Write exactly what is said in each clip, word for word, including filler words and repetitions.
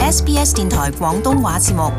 S B S 電台廣東話節目。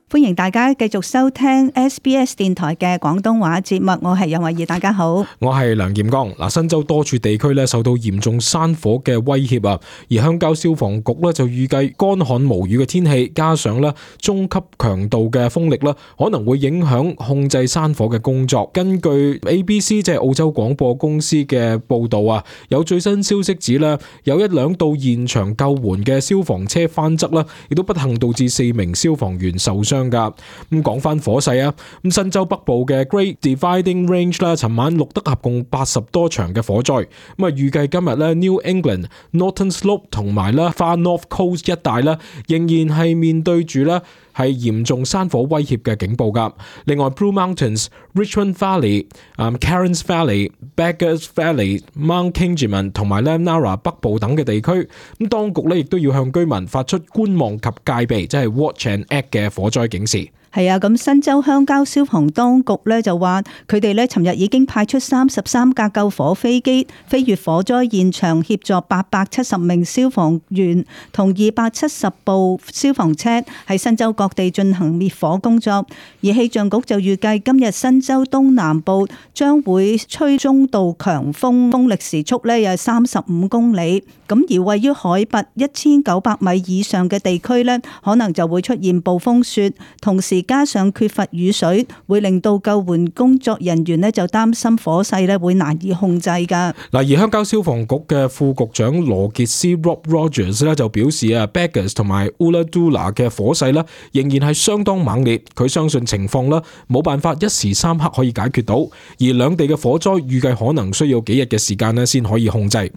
歡迎大家繼續收聽 S B S 電台嘅廣東話節目，我係楊慧儀，大家好。我係梁劍剛。嗱，新州多處地區咧受到嚴重山火嘅威脅啊，而鄉郊消防局咧就預計乾旱無雨嘅天氣，加上咧中級強度嘅風力咧，可能會影響控制山火嘅工作。根據 A B C 即係澳洲廣播公司嘅報道啊，有最新消息指咧，有一輛到現場救援嘅消防車翻側啦，亦都不幸導致四名消防員受傷。咁講翻火勢啊，咁新州北部嘅 Great Dividing Range 啦，尋晚錄得合共八十多場嘅火災。咁啊，預計今日咧 New England、Northern Slope 同埋咧 Far North Coast 一帶咧，仍然係面對住咧係嚴重山火威脅嘅警報噶。另外 Blue Mountains、Richmond Valley、Cairns Valley、Beggars Valley、Mount Kingiman 同埋咧 Nara 北部等嘅地區，咁當局咧亦都要向居民發出觀望及戒備，即係 Watch and Act 嘅火災警示。係啊，咁新州鄉郊消防當局咧就話，佢哋咧尋日已經派出三十三架救火飛機飛越火災現場，協助八百七十名消防員同二百七十部消防車喺新州各地進行滅火工作。而氣象局就預計今日新州東南部將會吹中到強風，風力時速咧有三十五公里。咁而位於海拔一千九百米以上嘅地區咧，可能就會出現暴風雪，同時加上缺乏雨水，會令到救援工作人員咧就擔心火勢咧會難以控制噶。嗱，而鄉郊消防局嘅副局長羅傑斯 Rob Rogers 咧就表示啊 ，Beggars 同埋 Ulladulla 嘅火勢咧仍然係相當猛烈，佢相信情況咧冇辦法一時三刻可以解決到，而兩地嘅火災預計可能需要幾日嘅時間咧先可以控制。咁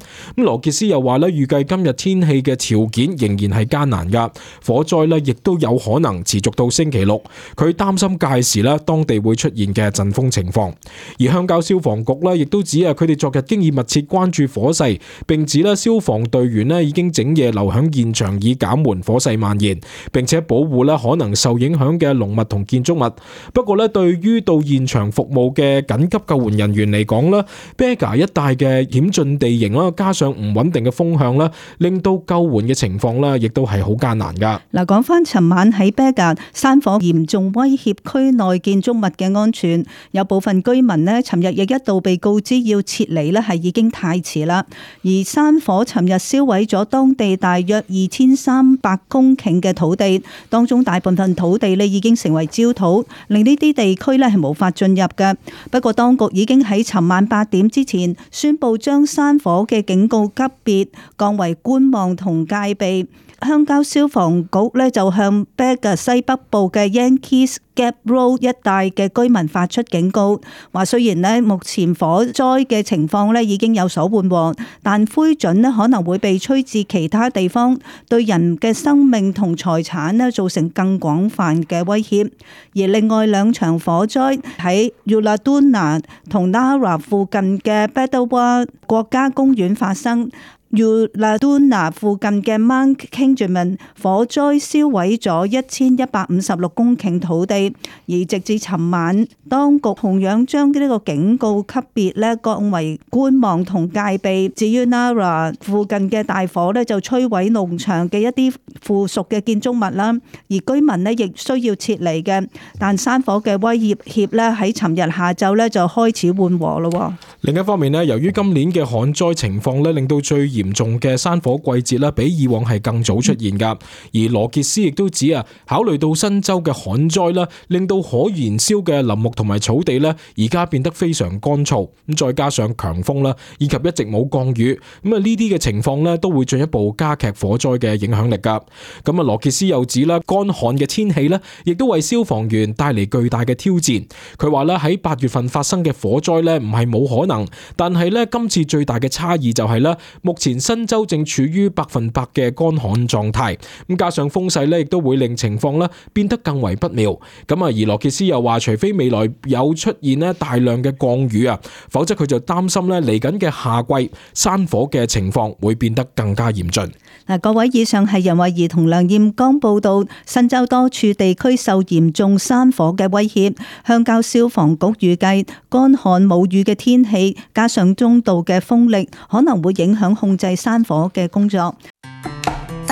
羅傑斯又話咧，預計今日天氣嘅條件仍然係艱難噶，火災咧亦都有可能持續到星期六。佢擔心屆時咧，當地會出現嘅陣風情況。而鄉郊消防局咧，亦都指啊，佢哋昨日經已密切關注火勢，並指咧消防隊員咧已經整夜留響現場，以減緩火勢蔓延，並且保護咧可能受影響嘅農物同建築物。不過咧，對於到現場服務嘅緊急救援人員嚟講咧 Beggars 一帶嘅險峻地形啦，加上唔穩定嘅風向啦，令到救援嘅情況咧，亦都係好艱難噶。嗱，講翻尋晚喺 Beggars 山火嚴重威脅區內建築物嘅安全，有部分居民呢尋日亦一度被告知要撤離呢係已經太遲啦。而山火尋日燒毀咗當地大約二千三百公頃嘅土地，當中大部分土地呢已經成為焦土，令呢啲地區呢係無法進入嘅。不過當局已經喺尋晚八點之前宣布將山火嘅警告級別降為觀望同戒備。鄉郊消防局咧就向 Beggars 西北部嘅 Yankees Gap Road 一帶嘅居民發出警告，話雖然咧目前火災嘅情況咧已經有所緩和，但灰燼咧可能會被吹至其他地方，對人嘅生命同財產咧造成更廣泛嘅威脅。而另外兩場火災喺 Ulladulla 同 Nara 附近嘅 Beddawa 國家公園發生。Ulladulla 附近嘅 Mount Kingiman 火災燒毀咗一千一百五十六公頃土地，而直至尋晚，當局同樣將呢個警告級別咧降為觀望同戒備。至於 Nara 附近嘅大火咧就摧毀農場嘅一啲附屬嘅建築物啦，而居民咧亦需要撤離嘅。但山火嘅威脅咧喺尋日下晝咧就開始緩和咯。另一方面咧，由於今年嘅旱災情況咧，令到最嚴重嘅山火季節咧，比以往係更早出現噶。而羅傑斯亦都指啊，考慮到新州嘅旱災啦，令到可燃燒嘅林木同埋草地咧，而家變得非常乾燥。咁再加上強風啦，以及一直冇降雨，咁啊呢啲嘅情況咧，都會進一步加劇火災嘅影響力噶。咁啊，羅傑斯又指啦，乾旱嘅天氣咧，亦都為消防員帶嚟巨大嘅挑戰。佢話咧，喺八月份發生嘅火災咧，唔係冇可能，但係咧今次最大嘅差異就係咧，目前新州正處於百分百嘅乾旱狀態，咁加上風勢咧，亦都會令情況咧變得更為不妙。咁啊，而羅傑斯又話，除非未來有出現咧大量嘅降雨啊，否則佢就擔心咧嚟緊嘅夏季山火嘅情況會變得更加嚴峻。嗱，各位，以上係任慧儀同梁艷剛報道，新州多處地區受嚴重山火嘅威脅，鄉郊消防局預計乾旱冇雨嘅天氣，加上中度嘅風力，可能會影響控制山火嘅工作。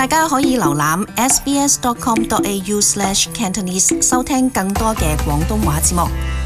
大家可以瀏覽 s b s dot com dot a u slash cantonese 收聽更多嘅廣東話節目。